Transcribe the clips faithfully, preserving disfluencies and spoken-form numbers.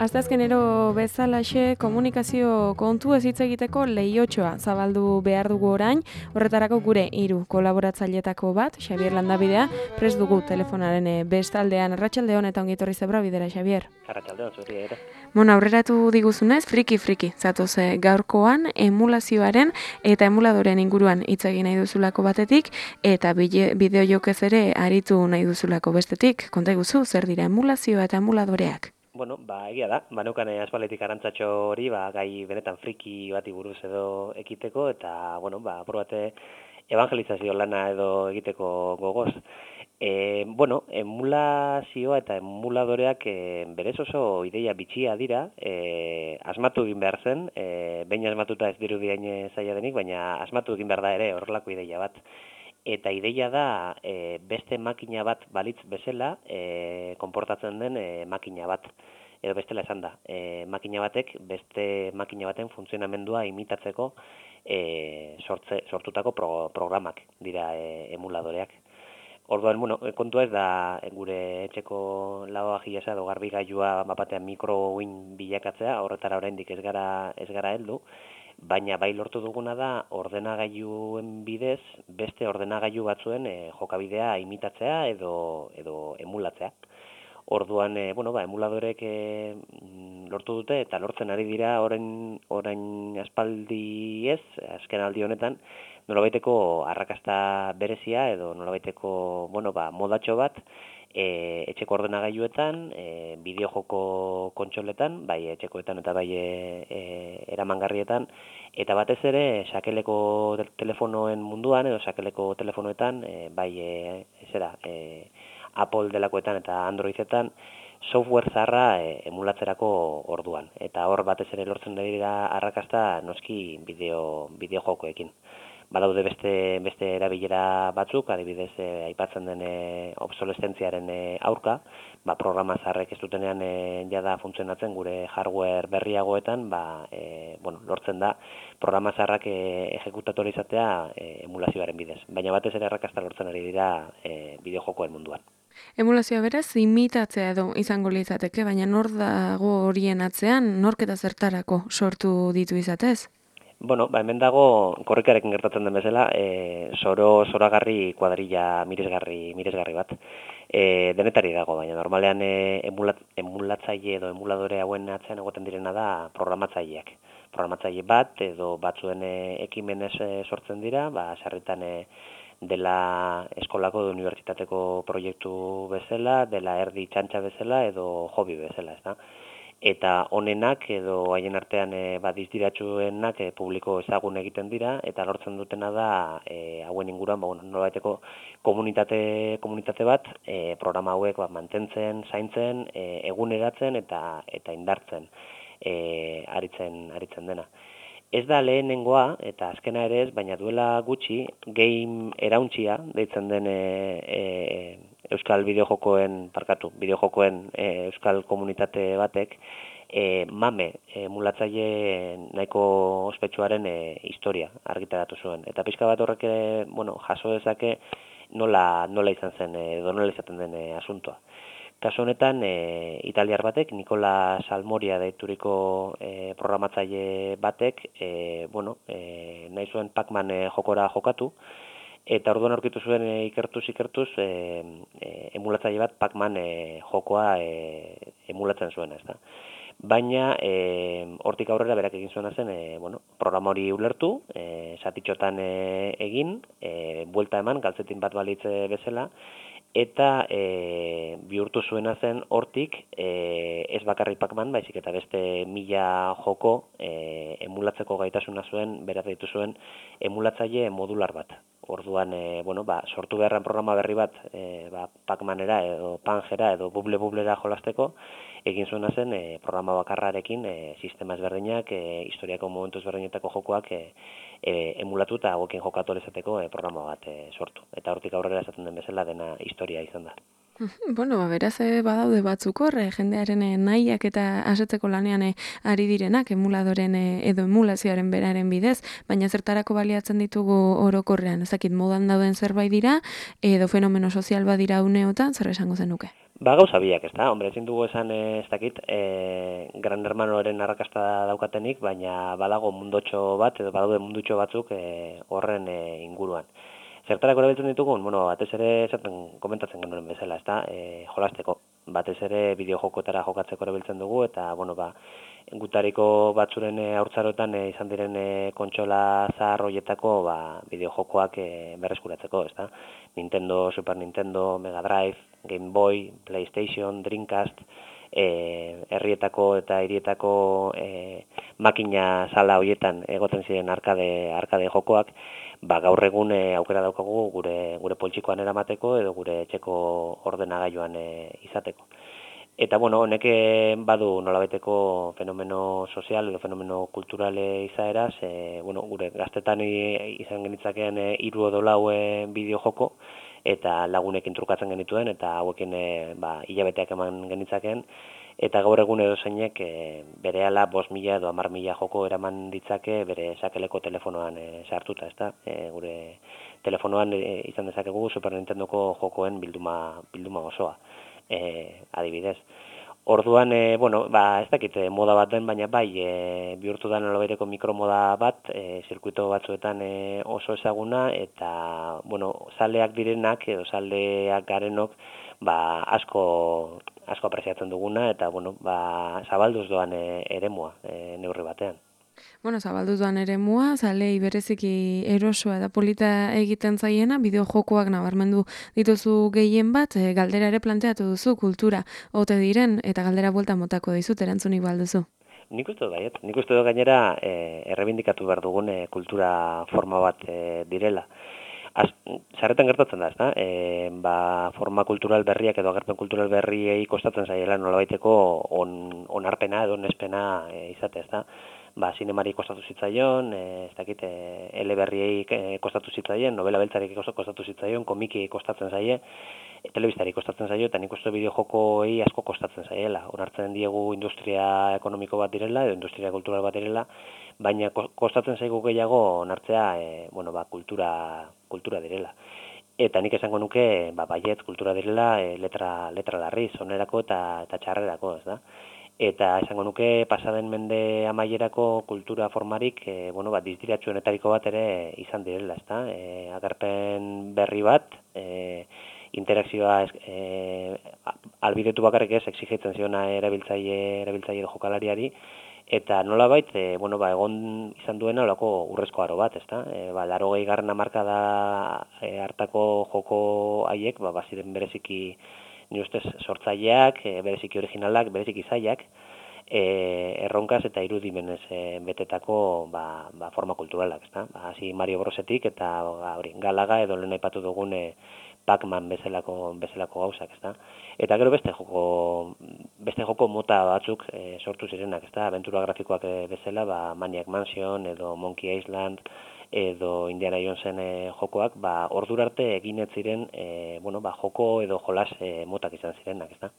Asteazkenero bezalaxe komunikazio kontu ez hitz egiteko leihotxoa zabaldu behar dugu orain, horretarako gure hiru kolaboratzailetako bat, Xabier Landabidea, prest dugu telefonaren bestaldean. Arratsaldeon eta ongi etorri Zebra bidera, Xabier. Arratsaldeon, zuri ere. Bueno, aurreratu diguzunez, friki-friki, zatoz gaurkoan emulazioaren eta emuladoren inguruan hitz egin nahi duzulako batetik, eta bideo jokez ere aritu nahi duzulako bestetik. Konta iguzu, zer dira emulazioa eta emuladoreak? Bueno, ba, egia da, baneukan aspalditik arantzatxo hori, ba, gai benetan friki bati buruz edo ekiteko, eta, bueno, ba, probate evangelizazio lana edo egiteko gogoz. E, bueno, emulazioa eta emuladoreak e, berez oso ideia bitxia dira, e, asmatu egin behar zen, e, behin asmatuta ez diru bihain zaila denik, baina asmatu egin behar da ere horrelako ideia bat. Eta ideia da e, beste makina bat balitz bezala e, konportatzen den e, makina bat. Edo bestela esan da, e, makina batek beste makina baten funtzionamendua imitatzeko e, sortze, sortutako pro, programak dira e, emuladoreak. Orduan, bueno, kontua ez da gure etxeko lavavajillas edo garbigailua bapatean mikrouin bilakatzea, horretara oraindik ez gara ez gara heldu. Baina bai lortu duguna da ordenagailuen bidez beste ordenagailu batzuen e, jokabidea imitatzea edo edo emulatzea. Orduan, e, bueno, ba, emuladorek e, lortu dute eta lortzen ari dira orain orain aspaldi ez, azken aldi honetan, nolabaiteko arrakasta berezia edo nolabaiteko, bueno, ba, modatxo bat E, etxeko ordenagailuetan, e, bideojoko kontsoletan, bai etxekoetan eta bai e, e, eramangarrietan, eta batez ere sakeleko telefonoen munduan edo sakeleko telefonoetan, e, bai e, zera, e, Apple delakoetan eta Androidetan, software zaharra e, emulatzerako orduan. Eta hor batez ere lortzen dira arrakasta noski bideo, bideojokoekin. Badaude beste beste erabilera batzuk, adibidez e, aipatzen den e, obsolescentziaren e, aurka, ba, programa zaharrek ez dutenean e, jada funtzionatzen gure hardware berriagoetan, ba, e, bueno, lortzen da programa zaharrak e, ejekutatu izatea e, emulazioaren bidez. Baina batez ere arrakasta lortzen ari dira e, bideojokoen munduan. Emulazioa beraz imitatzea edo izango litzateke, baina nor dago horien atzean, nork eta zertarako sortu ditu izatez? Bueno, ba, hemen dago korrikarekin gertatzen den bezala, e, soro zoragarri kuadrilla miresgarri miresgarri bat. E, denetari dago, baina normalean e, emulat, emulatzaile edo emuladore hauen atzean egoten direna da programatzaileak. Programatzaile bat edo batzuen e, ekimenez e, sortzen dira, ba sarritan e, dela eskolako edo unibertsitateko proiektu bezala, dela erdi txantxa bezala edo hobi bezala, ezta? Eta honenak edo haien artean e, badizdiratsuenak e, publiko ezagun egiten dira eta lortzen dutena da e, hauen inguruan ba, bueno, nolabaiteko komunitate komunitate bat e, programa hauek ba, mantentzen, zaintzen, e, eguneratzen eta eta indartzen e, aritzen aritzen dena. Ez da lehenengoa eta azkena ere ez, baina duela gutxi game erauntsia deitzen den e, e, Euskal bideojokoen, parkatu, bideojokoen e, Euskal komunitate batek e, mame emulatzaile nahiko ospetsuaren e, historia argitaratu zuen. Eta pixka bat horrek ere, bueno, jaso dezake nola, nola izan zen edo nola izaten den e, asuntoa. Kasu honetan, e, italiar batek, Nikola Salmoria deituriko e, programatzaile batek, e, bueno, e, nahi zuen Pac-Man e, jokora jokatu, eta orduan aurkitu zuen e, ikertuz ikertuz e, e, emulatzaile bat Pac-Man e, jokoa e, emulatzen zuen, ez da. Baina e, hortik aurrera berak egin zuena zen, e, bueno, programa hori ulertu, e, satitxotan e, egin, e, buelta eman, galtzetin bat balitze bezala, eta e, bihurtu zuena zen hortik e, ez bakarrik Pac-Man, baizik eta beste mila joko e, emulatzeko gaitasuna zuen, beraz ditu zuen emulatzaile modular bat. orduan, e, bueno, ba, sortu beharran programa berri bat, e, ba, Pac-Manera edo Pangera edo Buble Bublera jolasteko, egin zuena zen e, programa bakarrarekin e, sistema ezberdinak, e, historiako momentu ezberdinetako jokoak e, e, emulatu eta hauekin jokatu ahal izateko e, programa bat e, sortu. Eta hortik aurrera esaten den bezala dena historia izan da. Bueno, ba, beraz eh, badaude batzuk hor, eh, jendearen eh, nahiak eta asetzeko lanean eh, ari direnak, emuladoren eh, edo emulazioaren beraren bidez, baina zertarako baliatzen ditugu orokorrean, ezakit modan dauden zerbait dira, edo fenomeno sozial badira uneotan, zer esango zenuke? Ba, gauza biak, ez da? Hombre, ezin dugu esan, ez dakit, e, Gran Hermanoren arrakasta daukatenik, baina badago mundotxo bat, edo badaude mundutxo batzuk e, horren e, inguruan. Zertarako erabiltzen ditugun? Bueno, batez ere esaten komentatzen genuen bezala, ez da? E, jolasteko. Batez ere bideojokotara jokatzeko erabiltzen dugu, eta, bueno, ba, gutariko batzuren e, haurtzarotan e, izan diren e, kontsola zahar hoietako ba, bideojokoak e, berreskuratzeko, ez da? Nintendo, Super Nintendo, Mega Drive, Game Boy, PlayStation, Dreamcast, e, herrietako eta hirietako e, makina sala hoietan egoten ziren arkade, arkade jokoak, ba, gaur egun e, aukera daukagu gure, gure poltsikoan eramateko edo gure etxeko ordenagailuan e, izateko. Eta, bueno, honek badu nolabaiteko fenomeno sozial edo fenomeno kulturale izaeraz, e, bueno, gure gaztetan izan genitzakeen e, hiru edo lau e, bideo joko, eta lagunekin trukatzen genituen, eta hauekin e, ba, hilabeteak eman genitzakeen, eta gaur egun edo zeinek e, berehala bost mila edo hamar mila joko eraman ditzake bere sakeleko telefonoan e, sartuta, ezta? E, gure telefonoan e, izan dezakegu Super Nintendoko jokoen bilduma, bilduma osoa. E, adibidez. Orduan, e, bueno, ba, ez dakit moda bat den, baina bai, e, bihurtu da nolabaiteko mikromoda bat, e, zirkuito batzuetan e, oso ezaguna, eta, bueno, zaleak direnak, edo zaleak garenok, ba, asko, asko apreziatzen duguna, eta, bueno, ba, zabalduz doan e, eremua, e, neurri batean. Bueno, zabalduz doan eremua, zalei bereziki erosoa eta polita egiten zaiena, bideojokoak nabarmendu dituzu gehien bat, e, galdera ere planteatu duzu, kultura ote diren, eta galdera buelta motako dizut erantzunik balduzu. Nik uste dut baiet, nik uste dut gainera e, errebindikatu behar dugun e, kultura forma bat e, direla. Az, zarretan gertatzen da, ezta? E, ba, forma kultural berriak edo agerpen kultural berriei kostatzen zaiela nolabaiteko on, onarpena edo onespena e, izate, ezta? Ba, sinemari kostatu zitzaion, e, ez dakit, e, eleberriei e, kostatu zitzaien, novela beltzari kostatu zitzaion, komiki kostatzen zaie, e, telebistari kostatzen zaio, eta nik uste bideojokoei asko kostatzen zaiela. Onartzen diegu industria ekonomiko bat direla, edo industria kultural bat direla, baina kostatzen zaigu gehiago onartzea, e, bueno, ba, kultura, kultura direla. Eta nik esango nuke, ba, baietz kultura direla, e, letra, letra larriz, onerako eta, eta txarrerako, ez da? Eta esango nuke pasaden mende amaierako kultura formarik, e, bueno, bat dizdiratsuenetariko bat ere izan direla, ezta? E, agerpen berri bat, e, interakzioa e, albidetu bakarrik ez exigitzen ziona erabiltzaile erabiltzaile jokalariari, eta nolabait, e, bueno, ba, egon izan duena olako urrezko aro bat, ezta? E, ba, laurogei garren hamarkada e, hartako joko haiek, ba, baziren bereziki ni ustez sortzaileak, e, bereziki originalak, bereziki zaiak, e, erronkaz eta irudimenez e, betetako ba, ba, forma kulturalak, ezta? Ba, hasi Mario Brosetik eta ba, hori, Galaga edo lehen aipatu dugun e, Pac-Man bezalako, bezalako gauzak, ezta? Eta gero beste joko, beste joko mota batzuk e, sortu zirenak, ezta? Aventura grafikoak e, bezala, ba, Maniac Mansion edo Monkey Island, edo Indiana Jonesen e, jokoak, ba, ordura arte egin ez ziren, e, bueno, ba, joko edo jolas e, motak izan zirenak, ezta?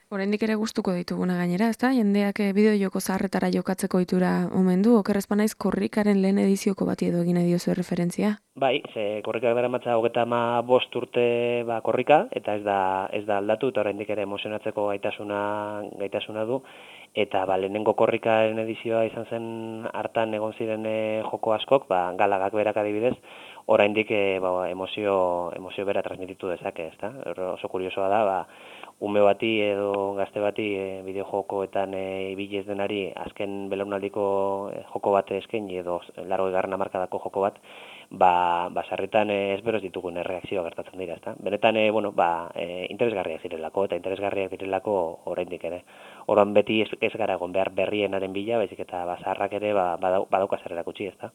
Oraindik ere gustuko dituguna gainera, ezta? Jendeak bideo joko zaharretara jokatzeko ohitura omen du, okerrez banaiz korrikaren lehen edizioko bati edo egin diozu referentzia. Bai, ze korrikak daramatza hogeita hamabost urte ba, korrika, eta ez da ez da aldatu, eta oraindik ere emozionatzeko gaitasuna gaitasuna du, eta ba, lehenengo korrikaren edizioa izan zen hartan egon ziren e, joko askok, ba, Galagak berak adibidez, oraindik e, ba, emozio, emozio bera transmititu dezake, ezta? Oso kuriosoa da, ba, ume bati edo gazte bati e, bideojokoetan e, ibili ez denari azken belaunaldiko e, joko bat eskaini edo largoi garren hamarkadako joko bat, ba, ba sarritan e, ezberoz ditugun erreakzioa gertatzen dira, ezta? Benetan, e, bueno, ba, e, interesgarriak zirelako eta interesgarriak direlako oraindik ere. Orduan beti ez, ez gara egon behar berrienaren bila, baizik eta ba, zaharrak ere ba, badau, badauka zer erakutsi, ezta?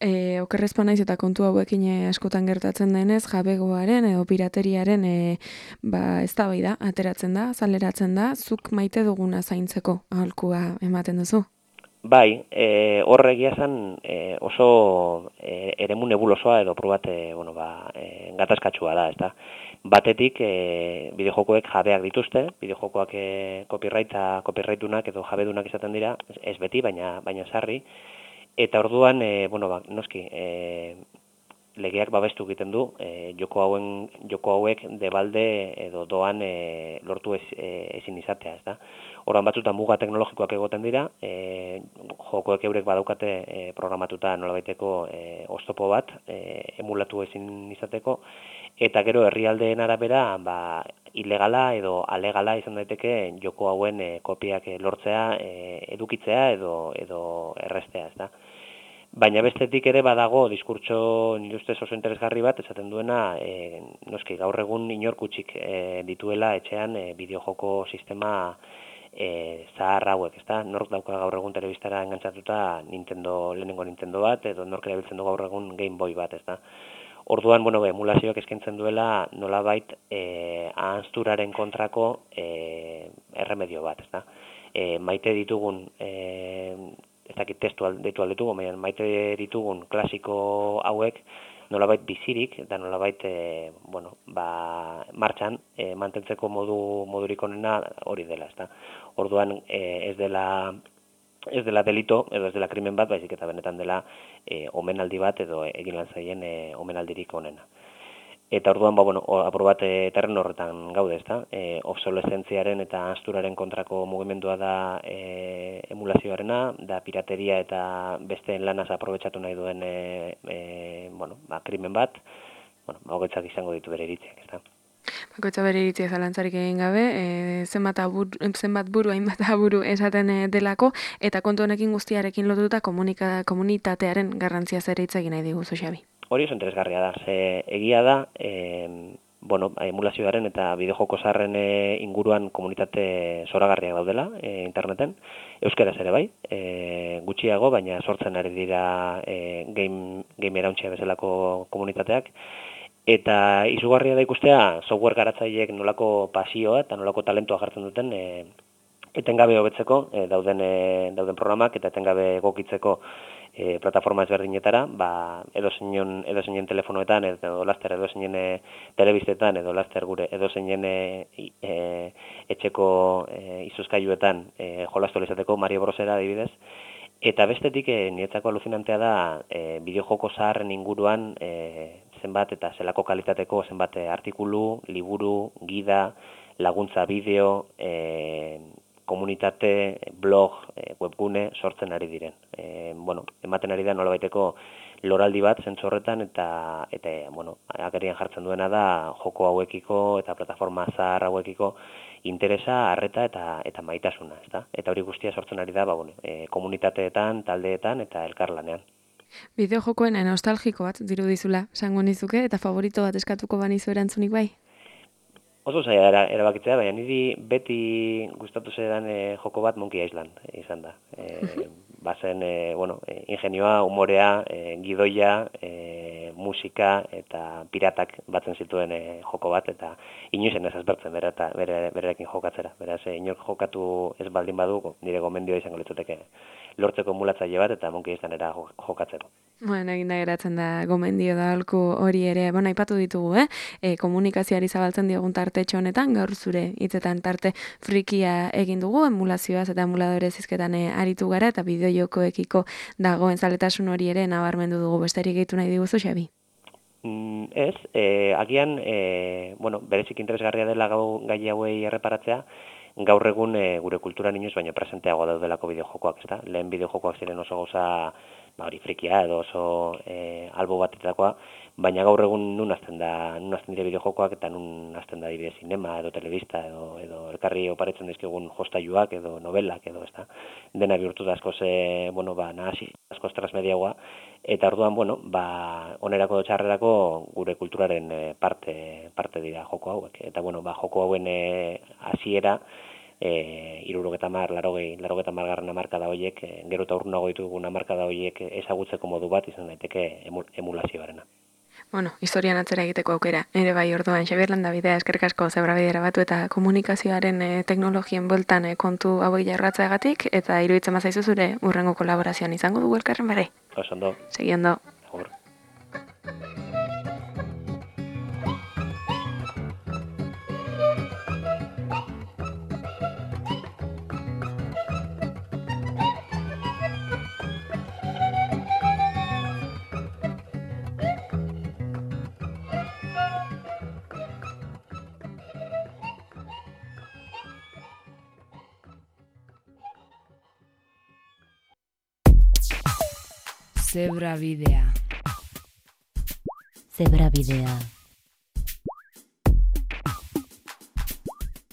E, okerrezpa naiz eta kontu hauekin e, askotan gertatzen denez, jabegoaren edo pirateriaren e, ba, eztabaida ateratzen da, azaleratzen da, zuk maite duguna zaintzeko aholkua ematen duzu? Bai, e, horre egia esan e, oso e, eremu nebulosoa edo probat e, bueno, ba, e, gatazkatsua da, ezta. Batetik e, bideojokoek jabeak dituzte, bideojokoak e, copyrighta, copyrightunak edo jabedunak izaten dira, ez beti, baina baina sarri, eta orduan e, bueno, ba, noski, e, legeak babestu egiten du, e, joko hauen joko hauek debalde edo doan e, lortu ez, e, ezin izatea, ezta. Orduan batzutan muga teknologikoak egoten dira, e, jokoek eurek badaukate e, programatuta nolabaiteko e, oztopo bat, e, emulatu ezin izateko, eta gero herrialdeen arabera ba, ilegala edo alegala izan daiteke joko hauen e, kopiak e, lortzea, e, edukitzea edo edo errestea, ezta. Baina bestetik ere badago diskurtso nire ustez oso interesgarri bat esaten duena e, noski gaur egun inorkutsik e, dituela etxean e, bideojoko sistema e, zahar hauek, ezta? Nork dauka gaur egun telebistara engantzatuta Nintendo, lehenengo Nintendo bat edo nork erabiltzen du gaur egun Game Boy bat, ezta? Orduan, bueno, emulazioak eskaintzen duela nolabait e, ahanzturaren kontrako e, erremedio bat, ezta? E, maite ditugun e, ez dakit testu deitu aldetugu, baina maite ditugun klasiko hauek nolabait bizirik eta nolabait e, bueno, ba, martxan e, mantentzeko modu modurik onena hori dela, ezta. Orduan e, ez dela ez dela delito edo ez dela krimen bat, baizik eta benetan dela e, omenaldi bat edo egin lan zaien e, omenaldirik onena. Eta orduan, ba, bueno, apur bat e, terren horretan gaude, ezta? E, obsolescentziaren eta asturaren kontrako mugimendua da e, emulazioarena, da pirateria eta besteen lanaz aprobetxatu nahi duen e, e, bueno, ba, krimen bat, bueno, bagoitzak izango ditu bere iritziak, ezta? Bakoitza bere iritzia zalantzarik egin gabe, e, zenbat, abur, zenbat buru, hainbat aburu esaten e, delako, eta kontu honekin guztiarekin lotuta komunika, komunitatearen garrantzia zer hitz egin nahi diguzu, Xabi. Hori oso interesgarria da, ze egia da, e, bueno, emulazioaren eta bideojoko zaharren e, inguruan komunitate zoragarriak daudela e, interneten, euskaraz ere bai, e, gutxiago, baina sortzen ari dira e, game, game erauntzia bezalako komunitateak, eta izugarria da ikustea software garatzaileek nolako pasioa eta nolako talentua jartzen duten e, etengabe hobetzeko e, dauden, e, dauden programak eta etengabe egokitzeko E, plataforma ezberdinetara, ba, edo zeinen edo zeinen telefonoetan, edo laster edo zeinen e, telebistetan, edo laster gure edo zeinen e, e, etxeko e, izuzkailuetan e, jolastu izateko Mario Brosera adibidez. Eta bestetik e, niretzako alucinantea da e, bideojoko zaharren inguruan e, zenbat eta zelako kalitateko zenbat artikulu, liburu, gida, laguntza bideo, e, komunitate, blog, webgune sortzen ari diren. E, bueno, ematen ari da nolabaiteko loraldi bat zentzu horretan eta eta bueno, agerian jartzen duena da joko hauekiko eta plataforma zahar hauekiko interesa, arreta eta eta maitasuna, ezta? Eta hori guztia sortzen ari da, ba bueno, e, komunitateetan, taldeetan eta elkarlanean. Bideojokoen nostalgiko bat dirudizula, esango nizuke, eta favorito bat eskatuko banizu erantzunik bai? Oso zaila era, erabakitzea, baina niri beti gustatu zaidan e, joko bat Monkey Island izan da. E, bazen, e, bueno, e, ingenioa, umorea, e, gidoia, e, musika eta piratak batzen zituen e, joko bat, eta inoizen ez azbertzen bere, eta bere, berekin jokatzera. Beraz, e, inork jokatu ez baldin badu, nire gomendioa izango litzuteke lortzeko mulatzaile bat eta Monkey Islandera jokatzeko. Bueno, egin da geratzen da gomendio da holku hori ere, bueno, aipatu ditugu, eh? E, komunikazioari zabaltzen diogun tartetxo honetan, gaur zure hitzetan tarte frikia egin dugu, emulazioaz eta emuladore zizketan aritu gara, eta bideojokoekiko dagoen zaletasun hori ere nabarmendu dugu, besterik gehitu nahi diguzu, Xabi? Mm, ez, e, agian, e, bueno, berezik interesgarria dela gau, gai hauei erreparatzea, gaur egun e, gure kulturan inoiz baino presenteago daudelako bideojokoak, ezta? Lehen bideojokoak ziren oso gauza, ba hori frikia edo oso e, albo batetakoa, baina gaur egun nun hasten da, nun hasten dire bideojokoak eta nun hasten da dire zinema edo telebista edo edo elkarri oparetzen dizkigun jostailuak edo novelak edo, ezta? Dena bihurtu da askoz e, bueno, ba nahasi askoz transmediagoa eta orduan, bueno, ba onerako edo txarrerako gure kulturaren e, parte parte dira joko hauek. Eta bueno, ba joko hauen e, hasiera e, irurogeta mar, larogei, larogeta margarren amarkada horiek, e, gero eta urrunago ditugun amarkada horiek ezagutzeko modu bat izan daiteke emulazioarena. Bueno, historian atzera egiteko aukera. Ere bai, orduan, Xabier Landabidea, eskerrik asko Zebrabidera batu eta komunikazioaren e, teknologien bueltan e, kontu hauek jarratzeagatik, eta iruditzen bazaizu zure urrengo kolaborazioan izango dugu elkarren bare. Oso ondo. Segi ondo. Agur. Zebrabidea. Zebrabidea.